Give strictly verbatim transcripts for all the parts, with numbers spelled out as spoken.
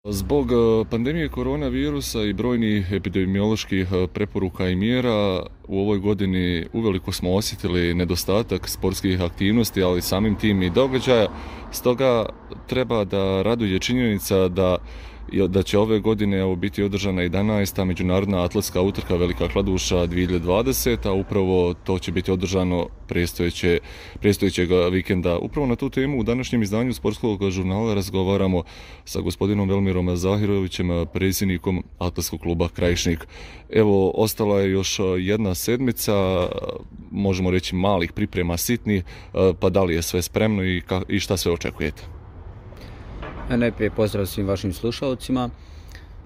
Zbog pandemije koronavirusa i brojnih epidemioloških preporuka i mjera u ovoj godini uveliko smo osjetili nedostatak sportskih aktivnosti, ali samim tim i događaja. Stoga treba da raduje činjenica da da će ove godine evo, biti održana jedanaesta međunarodna atletska utrka Velika Kladuša dvije hiljade dvadesete, a upravo to će biti održano predstojeće, predstojećeg vikenda. Upravo na tu temu u današnjem izdanju sportskog žurnala razgovaramo sa gospodinom Velmirom Zahirovićem, predsjednikom Atletskog kluba Krajišnik. Evo, ostala je još jedna sedmica, možemo reći malih priprema sitnih, pa da li je sve spremno i, ka, i šta sve očekujete? Najprije pozdrav svim vašim slušalcima.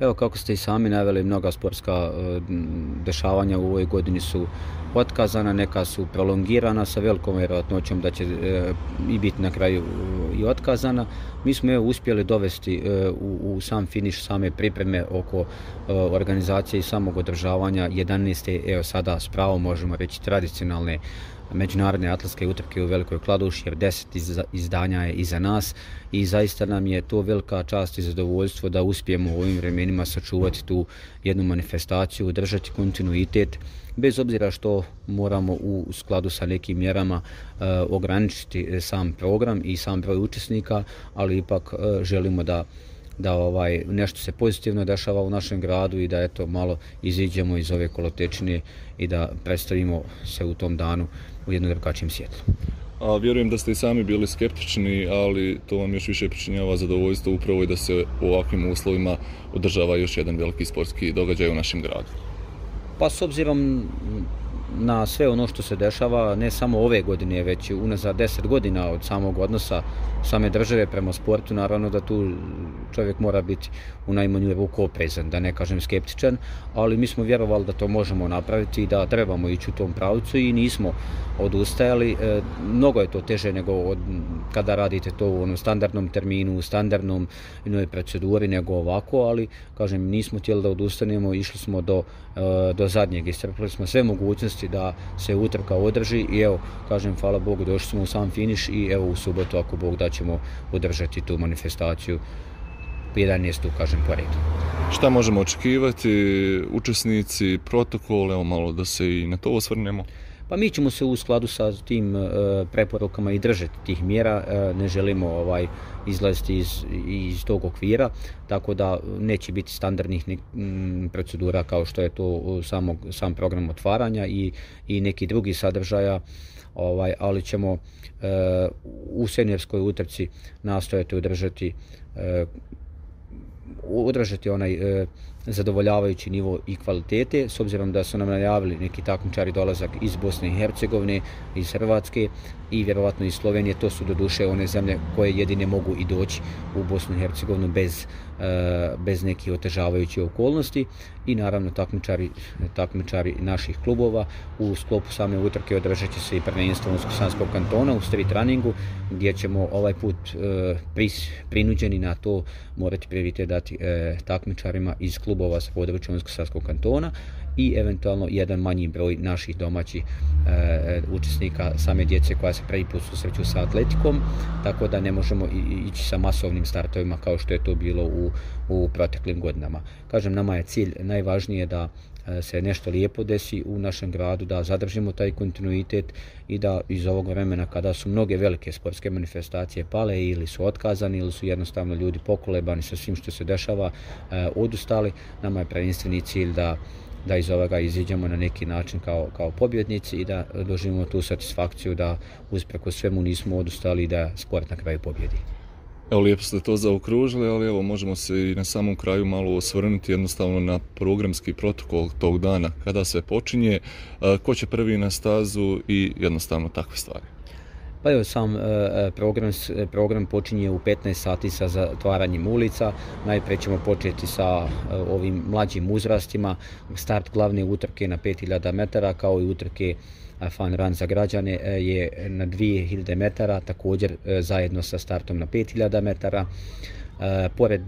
Evo, kako ste i sami naveli, mnoga sportska dešavanja u ovoj godini su otkazana, neka su prolongirana sa velikom vjerojatnoćom da će i biti na kraju i otkazana. Mi smo evo uspjeli dovesti u, u sam finiš same pripreme oko organizacije i samog održavanja jedanaeste evo sada s pravom možemo reći tradicionalne međunarodne atletske utrke u Velikoj Kladuši, jer deset izdanja je iza nas i zaista nam je to velika čast i zadovoljstvo da uspijemo u ovim vremenima sačuvati tu jednu manifestaciju, držati kontinuitet, bez obzira što moramo u skladu sa nekim mjerama e, ograničiti sam program i sam broj učesnika, ali ipak e, želimo da da ovaj nešto se pozitivno dešava u našem gradu i da eto malo iziđemo iz ove kolotečine i da predstavimo se u tom danu u jednom drugačijem svjetlu. A vjerujem da ste i sami bili skeptični, ali to vam još više pričinjava zadovoljstvo upravo i da se u ovakvim uslovima održava još jedan veliki sportski događaj u našem gradu. Pa s obzirom na sve ono što se dešava, ne samo ove godine, već unazad deset godina od samog odnosa same države prema sportu, naravno da tu čovjek mora biti u najmanju ruku oprezan, da ne kažem skeptičan, ali mi smo vjerovali da to možemo napraviti i da trebamo ići u tom pravcu i nismo odustajali. E, mnogo je to teže nego od, kada radite to u onom standardnom terminu, u standardnom jednoj proceduri nego ovako, ali kažem nismo htjeli da odustanemo, išli smo do, e, do zadnjeg, iscrpili smo sve mogućnosti da se utrka održi i evo, kažem, hvala Bogu, došli smo u sam finiš i evo u subotu, ako Bog da, ćemo održati tu manifestaciju jedanaestu, kažem, po redu. Šta možemo očekivati, učesnici, protokol, evo malo da se i na to osvrnemo? Pa mi ćemo se u skladu sa tim e, preporukama i držati tih mjera, e, ne želimo ovaj izlaziti iz, iz tog okvira, tako da neće biti standardnih ne, m, procedura kao što je to samog, sam program otvaranja i, i neki drugi sadržaja, ovaj, ali ćemo e, u seniorskoj utrci nastojati održati e, održati onaj e, zadovoljavajući nivo i kvalitete, s obzirom da su nam najavili neki takmičari dolazak iz Bosne i Hercegovine, iz Hrvatske i vjerovatno iz Slovenije. To su doduše one zemlje koje jedine mogu i doći u Bosnu i Hercegovinu bez, e, bez nekih otežavajućih okolnosti i naravno takmičari, takmičari naših klubova. U sklopu same utrke održat će se i prvenstvo Unsko-Sanskog kantona u street runningu, gdje ćemo ovaj put e, pris, prinuđeni na to morati prioritet dati e, takmičarima iz klubova sa područja Unsko-Sanskog kantona i eventualno jedan manji broj naših domaćih e, učesnika same djece koja se prvi put susreću sa atletikom, tako da ne možemo ići sa masovnim startovima kao što je to bilo u, u proteklim godinama. Kažem, nama je cilj najvažnije da se nešto lijepo desi u našem gradu, da zadržimo taj kontinuitet i da iz ovog vremena kada su mnoge velike sportske manifestacije pale ili su otkazani ili su jednostavno ljudi pokolebani sa svim što se dešava, eh, odustali, nama je prvenstveni cilj da da iz ovoga iziđemo na neki način kao, kao pobjednici i da doživimo tu satisfakciju da usprkos svemu nismo odustali i da sport na kraju pobjedi. Evo, lijepo ste to zaokružili, ali evo možemo se i na samom kraju malo osvrnuti jednostavno na programski protokol tog dana, kada se počinje, ko će prvi na stazu i jednostavno takve stvari. Pa evo, sam program, program počinje u petnaest sati sa zatvaranjem ulica. Najprije ćemo početi sa ovim mlađim uzrastima. Start glavne utrke na pet hiljada metara kao i utrke Fun Run za građane je na dvije hiljade metara, također zajedno sa startom na pet hiljada metara. Pored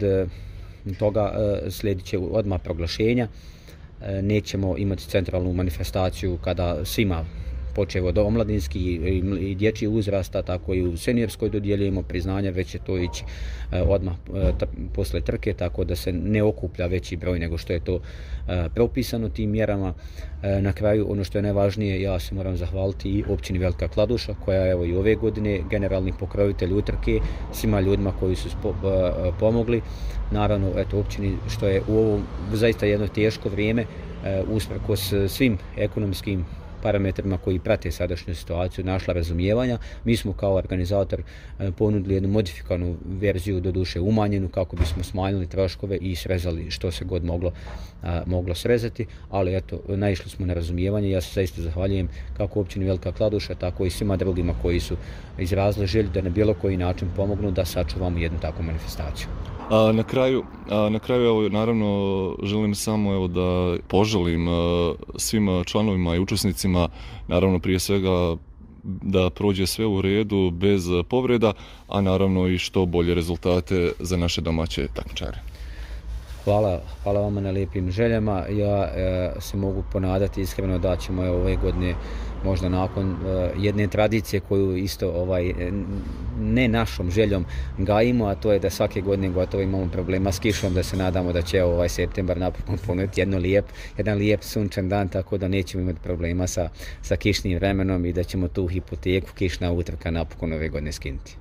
toga slijedit će odmah proglašenja. Nećemo imati centralnu manifestaciju kada svima počev od omladinskih i dječjih uzrasta, tako i u seniorskoj dodjeljujemo priznanja, već će to ići odmah posle trke, tako da se ne okuplja veći broj nego što je to propisano tim mjerama. Na kraju, ono što je najvažnije, ja se moram zahvaliti i općini Velika Kladuša, koja je evo i ove godine generalni pokrovitelj utrke, svima ljudima koji su pomogli. Naravno, eto, općini što je u ovo zaista jedno teško vrijeme, usprkos svim ekonomskim parametrima koji prate sadašnju situaciju, našla razumijevanja. Mi smo kao organizator ponudili jednu modifikovanu verziju, doduše umanjenu, kako bismo smanjili troškove i srezali što se god moglo, moglo srezati, ali eto, naišli smo na razumijevanje. Ja se zaista zahvaljujem kako općini Velika Kladuša, tako i svima drugima koji su izrazili želju da na bilo koji način pomognu da sačuvamo jednu takvu manifestaciju. A na kraju, a na kraju evo, naravno želim samo evo, da poželim a, svim članovima i učesnicima, naravno prije svega da prođe sve u redu bez povreda, a naravno i što bolje rezultate za naše domaće takmičare. Hvala, hvala vama na lijepim željama. Ja e, se mogu ponadati iskreno da ćemo evo, ove godine možda nakon e, jedne tradicije koju isto ovaj, ne našom željom gajimo, a to je da svake godine gotovo imamo problema s kišom, da se nadamo da će ovaj septembar napokon ponuditi jedno lijep, jedan lijep sunčan dan, tako da nećemo imati problema sa, sa kišnim vremenom i da ćemo tu hipoteku kišna utrka napokon ove godine skinuti.